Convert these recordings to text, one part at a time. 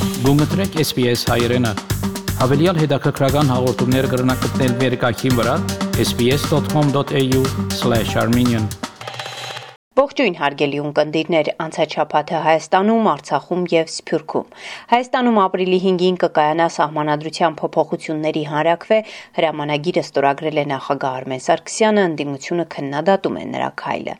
Գումտրեք SPS հայրենը։ Հավելյալ հետաքրքրական հաղորդումներ կգրնակցնել վերկայքին վրա sbs.com.au/armenian Ողջույն հարգելի ունկնդիրներ, անցաչափաթը Հայաստանում, Արցախում եւ Սփյուռքում։ Հայաստանում ապրիլի 5-ին կկայանա սահմանադրության փոփոխությունների հանրաքվե, հրամանագիրը ստորագրել է նախագահ Արմեն Սարգսյանը, ընդդիմությունը քննադատում է նրա քայլը։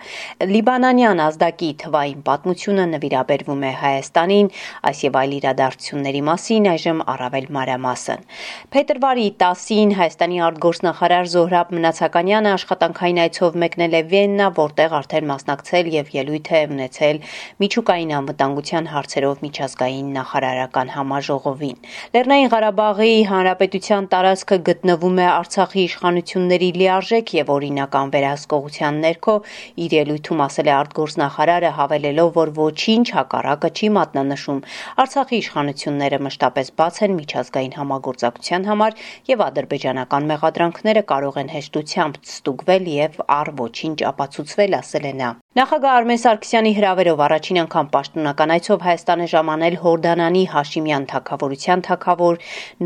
Լիբանանյան ազդակի թվային պատմությունը նվիրաբերվում է Հայաստանին, այս եւ այլ իրադարձությունների մասին այժմ առավել մանրամասն։ Փետրվարի 10-ին Հայաստանի արտգործնախարար Զոհրաբ Մնացականյանը աշխատանքային այցով մեկնել է Վիեննա, որտեղ արդեն մասնակցել եւ ելույթ է ունեցել միջուկային անվտանգության հարցերով միջազգային նախարարական համաժողովին։ Լեռնային Ղարաբաղի Հանրապետության տարածքը գտնվում է Արցախի իշխանությունների լիարժեք եւ օրինական վերահսկողության ներքո, իր ելույթում ասել է արտգործնախարարը, հավելելով, որ ոչինչ հակառակը չի մատնանշում։ Արցախի իշխանությունները մշտապես բաց են միջազգային համագործակցության համար եւ ադրբեջանական մեղադրանքները կարող են հեշտությամբ ստուգվել եւ առ ոչինչ ապացուցվել, ասել է նա։ Նախագահ Արմեն Սարգսյանի հրավերով առաջին անգամ պաշտոնական այցով Հայաստան է ժամանել Հորդանանի Հաշիմյան թագավորության թագավոր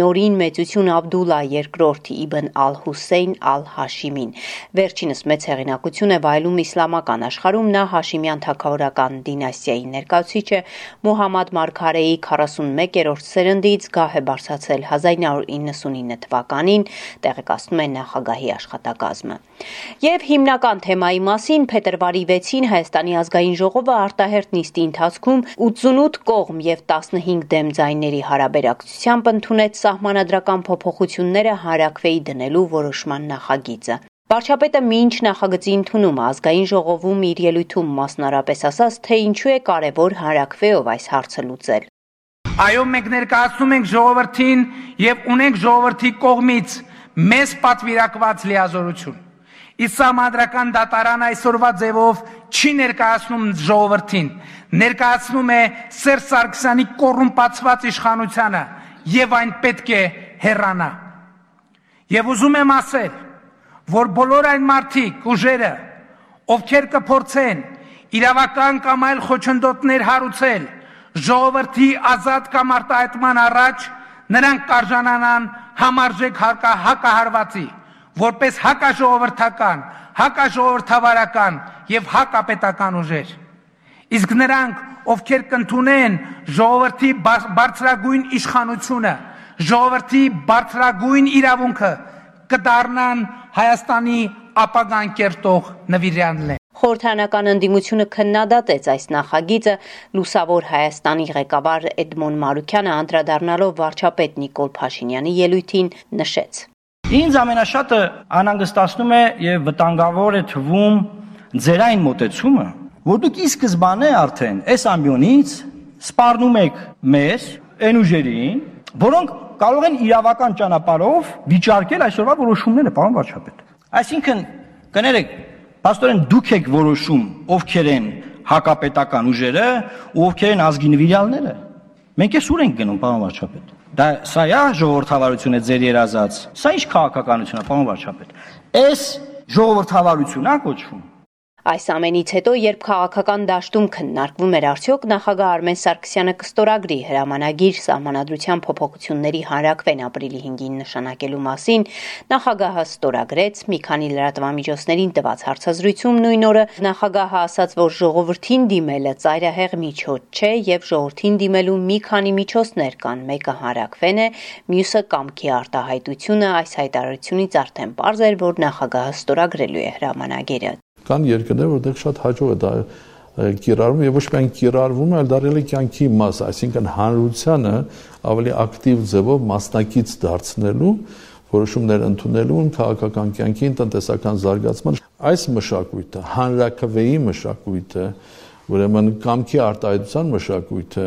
Նորին Մեծություն Աբդուլլա II Իբն Ալ-Հուսեյն Ալ-Հաշիմին։ Վերջինս մեծ հեղինակություն է վայելում իսլամական աշխարհում, նա Հաշիմյան թագավորական դինաստիայի ներկայացուցիչ է, Մուհամմադ Մարգարեի 41-րդ սերնդից, գահ է բարձրացել 1999 թվականին, տեղեկացնում է նախագահի աշխատակազմը։ Եվ հիմնական թեմայի մասին փետրվարի 6-ին Հայաստանի ազգային ժողովը արտահերթ նիստի ընթացքում 88 կողմ եւ 15 դեմ ձայների հարաբերակցությամբ ընդունեց սահմանադրական փոփոխությունները հանրաքվեի դնելու որոշման նախագիծը։ Վարչապետը մինչ նախագծի ընդունումը ազգային ժողովում իր ելույթում մասնարարպես ասաց, թե ինչու է կարևոր հանրաքվեով այս հարցը լուծել։ Այո, մենք ներկայացնում ենք ժողովրդին եւ ունենք ժողովրդի կողմից մեզ պատվիրակված լիազորություն։ Իսկ սահմանադրական դատարանը այսօրվա ձևով չի ներկայացնում ժողովրդին, ներկայացնում է Սերժ Սարգսյանի կոռումպացված իշխանությանը եւ այն պետք է հեռանա։ Եվ ուզում եմ ասել, որ բոլոր այն մարդիկ, ուժերը, ովքեր կփորձեն իրավական կամ այլ խոչընդոտներ հարուցել ժողովրդի ազատ կամ արտահայտման առաջ, նրանք կարժանանան համարժեք հակահարվածի, որպես հակաժողովրդական, հակաժողովրդավարական եւ հակապետական ուժեր։ Իսկ նրանք, ովքեր կընդունեն ժողովրդի բարձրագույն իշխանությունը, ժողովրդի բարձրագույն իրավունքը, կդառնան Հայաստանի ապագան կերտող նվիրյալներ։ Խորհրդարանական ընդդիմությունը քննադատեց այս նախագիծը, լուսավոր Հայաստանի ղեկավար Էդմոն Մարուկյանը անդրադառնալով վարչապետ Նիկոլ Փաշինյանի ելույթին նշեց. Ինձ ամենաշատը անհանգստացնում է եւ վտանգավոր է թվում ձեր այն մոտեցումը, որ դուք ի սկզբանե արդեն այս ամբիոնից սպառնում եք մեզ, այն ուժերին, որոնք կարող են իրավական ճանապարհով վիճարկել այսօրվա որոշումները, պարոն վարչապետ։ Այսինքն, կներեք, փաստորեն դուք եք որոշում ովքեր են հակապետական ուժերը ու ովքեր են ազգի նվիրյալները։ Մենք էս ուր ենք գնում, պարոն վարչապետ։ Դա սա է ժողովրդավարությունը ձեր երազած։ Սա ինչ քաղաքականություն է, պարոն վարչապետ։ Այս ժողովրդավարություն է կոչվում։ Այս ամենից հետո, երբ քաղաքական դաշտում քննարկվում էր արդյոք նախագահ Արմեն Սարգսյանը կստորագրի հրամանագիր սահմանադրության փոփոխությունների հանրաքվեն ապրիլի 5-ին նշանակելու մասին, նախագահը ստորագրեց, մի քանի լրատվամիջոցներին տված հարցազրույցում նույն օրը նախագահը ասաց, որ ժողովրդին դիմելը ծայրահեղ միջոց չէ եւ ժողովրդին դիմելու մի քանի միջոցներ կան, մեկը հանրաքվեն է, մյուսը կամքի արտահայտությունը, այս հայտարարությունից արդեն պարզ էր, որ նախագահը ստորագրելու է հրամանագիրը։ Կան երկրներ, որտեղ շատ հաջող է դա կիրառվում եւ ոչ միայն կիրառվում, այլ դարձել է կյանքի մաս, այսինքն հանրությանը ավելի ակտիվ ձևով մասնակից դարձնելու, որոշումներ ընդունելու քաղաքական կյանքին, տնտեսական զարգացման այս մշակույթը, հանրաքվեի մշակույթը, ուրեմն կամքի արտահայտության մշակույթը,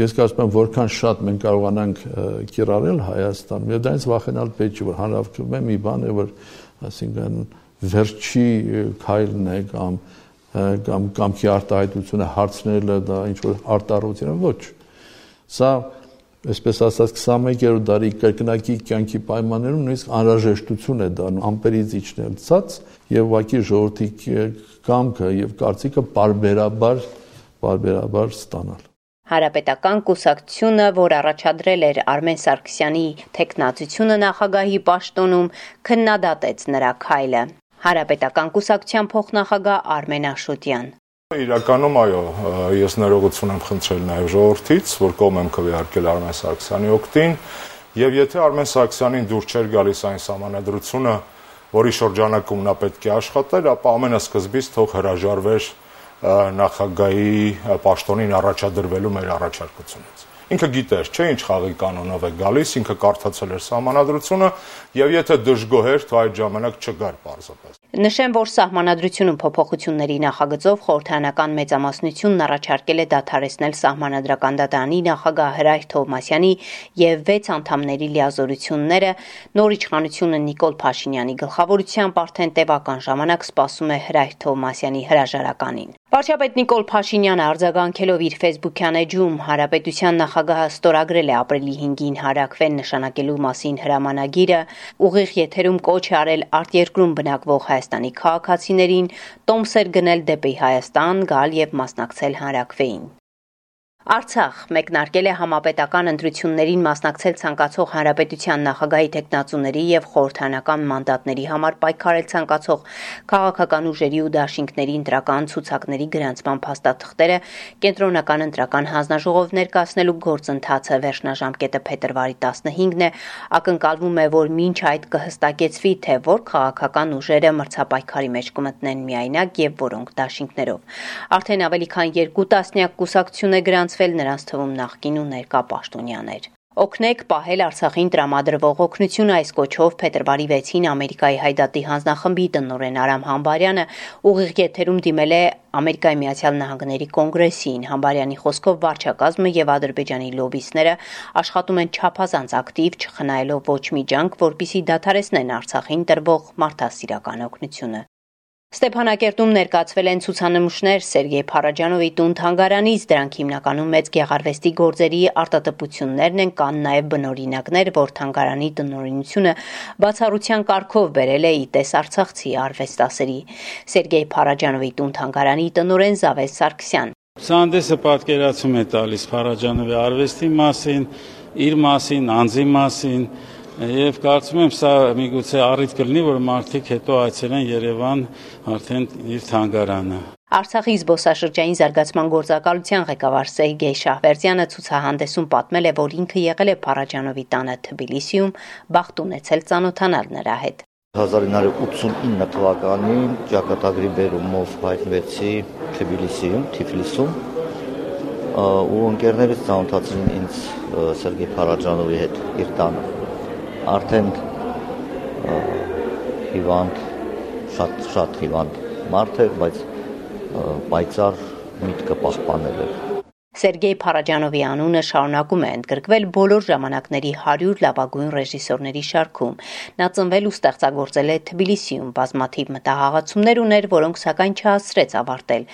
ես կարծում եմ, որքան շատ մենք կարողանանք կիրառել Հայաստանում, եւ դրանից վախենալ պետք չէ, որ հանրաքվե մի բան է, որ այսինքն վերջի քայլն է կամ կամքի արտահայտությունը հարցնելը դա ինչ որ արտառություն է, ոչ։ Սա, այսպես ասած, 21-րդ դարի կրկնակի կյանքի պայմաններում նույնիսկ անհրաժեշտություն է դառնում ամպերից իջնել ցած եւ ուղղակի ժողովրդի կամքը եւ կարծիքը բարբերաբար ստանալ։ Հանրապետական կուսակցությունը, որ առաջադրել էր Արմեն Սարգսյանի թեկնածությունը նախագահի պաշտոնում, քննադատեց նրա քայլը։ Հանրապետական կուսակցության փոխնախագահ Արմեն Աշոտյան. Իրականում այո, ես ներողություն եմ խնդրել նաև ժողովրդից, որ կողմ եմ քվեարկել Արմեն Սարգսյանի օգտին, եւ եթե Արմեն Սարգսյանին դուր չէր գալիս այն սահմանադրությունը, որի շրջանակում նա պետք է աշխատեր, ապա ամենասկզբից թող հրաժարվեր նախագահի պաշտոնին առաջադրվելու մեր առաջարկությունից։ Ինքը գիտեր, չէ, ինչ խաղի կանոնով է գալիս, ինքը կարդացել էր սահմանադրությունը եւ եթե դժգոհ էր, તો այդ ժամանակ չգար պարզապես։ Նշեմ, որ սահմանադրությունում փոփոխությունների նախագծով խորհրդարանական մեծամասնությունն առաջարկել է դադարեցնել սահմանադրական դատարանի նախագահ Հրայր Թովմասյանի եւ 6 անդամների լիազորությունները, նոր իշխանությունը Նիկոլ Փաշինյանի գլխավորությամբ արդեն տևական ժամանակ սպասում է Հրայր Թովմասյանի հրաժարականին։ Վարչապետ Նիկոլ Փաշինյանը արձագանքելով իր ֆեյսբուքյան էջում հանրապետության նախագահը ստորագրել է ապրիլի 5-ին հարակվել նշանակելու մասին հրամանագիրը, ուղիղ եթերում կոչ է արել արտերկրում բնակվող Հայաստանի քաղաքացիներին տոմսեր գնել դեպի Հայաստան, գալ եւ մասնակցել հանրակրվեին։ Արցախ մեկնարկել է համապետական ընտրություններին մասնակցել ցանկացող հանրապետության նախագահի թեկնածուների եւ խորհրդարանական մանդատների համար պայքարել ցանկացող քաղաքական ուժերի ու դաշինքների ընտրական ցուցակների գրանցման փաստաթղթերը կենտրոնական ընտրական հանձնաժողով ներկայացնելու գործընթացը վերջնաժամկետը փետրվարի 15-ն է, ակնկալվում է, որ մինչ այդ կհստակեցվի, թե որ քաղաքական ուժերը մրցապայքարի մեջ կմտնեն միայնակ եւ որոնք դաշինքներով։ Արդեն ավելի քան 2 տասնյակ կուսակցություն է գրանցվել, նրանց թվում նախկին ու ներկա պաշտոնյաներ։ Օգնեք պահել Արցախին տրամադրվող օգնությունը այս կոչով փետրվարի 6-ին Ամերիկայի Հայդատի հանձնախմբի տնօրեն Արամ Համբարյանը ուղիղ եթերում դիմել է Ամերիկայի Միացյալ Նահանգների կոնգրեսին։ Համբարյանի խոսքով վարչակազմը եւ Ադրբեջանի լոբիստները աշխատում են չափազանց ակտիվ, չխնայելով ոչ մի ջանք, որպեսզի դադարեցնեն Արցախին տրվող մարդասիրական օգնությունը։ Ստեփանակերտում ներկայացվել են ցուցանմուշներ Սերգեյ Փարաջանովի տուն-թանգարանից, դրանք հիմնականում մեծ գեղարվեստի գործերի արտատպություններն են, կան նաև բնօրինակներ, որ թանգարանի տնօրինությունը բացառության կարգով բերել է ի տես արցախցի արվեստասերի։ Սերգեյ Փարաջանովի տուն-թանգարանի տնօրեն Զավես Սարգսյան. Ցանդեսը պատկերացում է տալիս Փարաջանովի արվեստի մասին, իր մասին, անձի մասին, եւ կարծում եմ սա միգուցե առիթ կլինի, որ մարդիկ հետո այցելեն Երևան արդեն իր թանգարանը։ Արցախի զբոսաշրջային զարգացման գործակալության ղեկավար Սերգեյ Շահվերդյանը ցուցահանդեսում պատմել է, որ ինքը եղել է Փարաջանովի տանը Թբիլիսիում, բախտ ունեցել ծանոթանալ նրա հետ։ 1989 թվականին ճակատագրի բերումով հայտնվեցի Թիֆլիսում ու ընկերներս ծանոթացրին ինձ Սերգեյ Փարաջանովի հետ իր տանը։ Արդեն հիվանդ, շատ հիվանդ մարդ էր, բայց պայծառ միտքը պահպանել էր։ Սերգեյ Փարաջանովի անունը շարունակում է ընդգրկվել բոլոր ժամանակների 100 լավագույն ռեժիսորների շարքում։ Նա ծնվել ու ստեղծագործել է Թբիլիսիում, բազմաթիվ մտահաղացումներ ուներ, որոնք սակայն չհասցրեց ավարտել։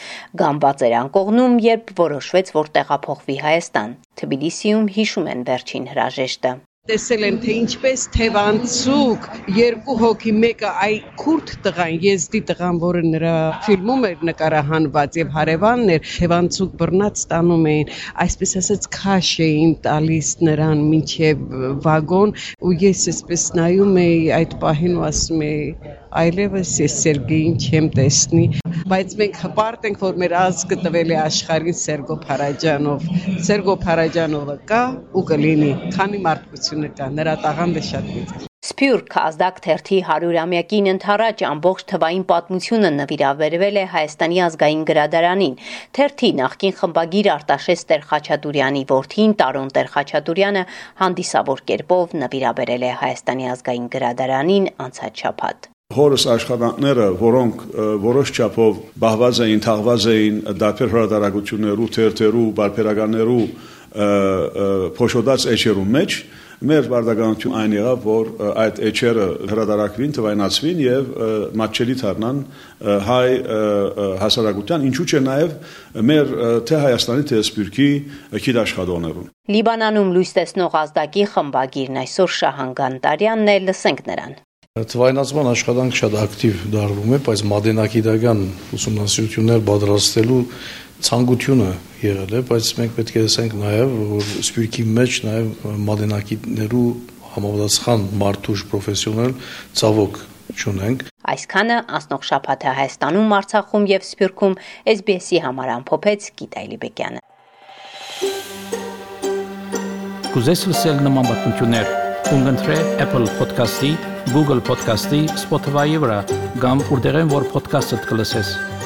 Գամբաց էր անկողնում, երբ որոշվեց, որ տեղափոխվի Հայաստան։ Թբիլիսիում հիշում են վերջին հրաժեշտը։ Տեսել են, թե ինչպես թևանցուկ երկու հոգի, մեկը այ քուրդ տղան, եզդի տղան, որը նրա ֆիլմում էր նկարահանված եւ հարևանն էր, թևանցուկ բռնած տանում էին, այսպես ասած քաշ էին տալիս նրան մինչև վագոն ու ես այսպես նայում էի այդ պահին ու ասում էի այլևս ես Սերգեյին չեմ տեսնի, բայց մենք հպարտ ենք, որ մեր ազգը տվել է աշխարհին Սերգո Փարաջանովը կա ու կլինի, քանի մարդկությունը կա, նրա տաղանդը շատ մեծ է։ Սփյուռք ազդակ թերթի 100-ամյակին ընթരാճ ամբողջ թվային պատմությունը նվիրաբերվել է Հայաստանի ազգային գրադարանին։ Թերթի նախկին խմբագիր Արտաշես Տեր-Խաչատուրյանի որդին Տարոն Տեր-Խաչատուրյանը հանդիսավոր կերպով նվիրաբերել է Հայաստանի ազգային գրադարանին անցած շաբաթ։ Հորս աշխատանքները, որոնք որոշ չափով բահված էին, թաղված էին դարբեր հրատարակություններու, թերթերու, բարբերականներու փոշոտած էջերու մեջ, մեր բարդականություն այն եղավ, որ այդ էջերը հրատարակվին, թվայնացվին եւ մատչելի դառնան հայ հասարակության, ինչու՞ չէ նաեւ մեր թե Հայաստանի, թե Սփյուռքի գիտաշխատողներուն։ Լիբանանում լույս տեսնող ազդակի խմբագիրն այսօր Շահան Գանտարյանն է, լսենք նրան։ Թվայնացման աշխատանք շատ ակտիվ դառնում է, բայց մատենագիտական ուսումնասիրություններ պատրաստելու ցանկությունը եղել է, բայց մենք պետք է տեսենք նաև, որ Սփյուռքի մեջ նաև մատենակիցներու համապատասխան մարդուժ պրոֆեսիոնալ ցավոք չունենք։ Այսքանը անցնող շաբաթը Հայաստանում, Արցախում եւ Սփյուռքում SBS-ի համար ամփոփեց Գիտա Իլիբեկյանը։ Կուզես լսել նման բանություններ, կընտրե Apple Podcast-ի, Google Podcast-ի, Spotify-ի վրա, կամ որտեղեն որ podcast-ը կլսես։